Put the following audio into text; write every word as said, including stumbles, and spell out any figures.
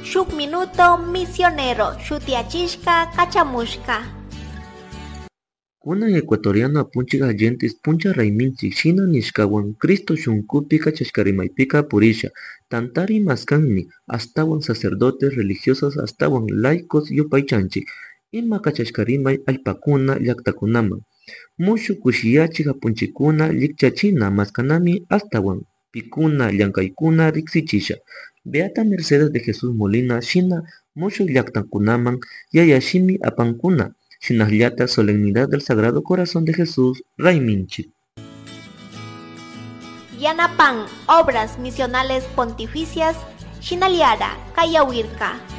Shuk Minuto Misionero shutiyachishka kachamushka. Kunan ecuatoriano apunchik Allentes puncha rayminchik shina nishkawan Cristo shunkupi kachashka rimaypika purisha tantari maskanmi ashtawan sacerdotes religiosos ashtawan laicos yupaychanchik ima kachashka rimay allpakuna llaktakunaman mushuk kushiyachik apunchikkuna llikchachina maskanami ashtawan pikuna llankaykuna riksichisha Beata Mercedes de Jesús Molina shina mushuk llaktakunaman yayashimi apankuna shinallata Solemnidad del Sagrado Corazón de Jesús rayminchik. Yanapan Obras Misionales Pontificias Shinaliara Kayawirka.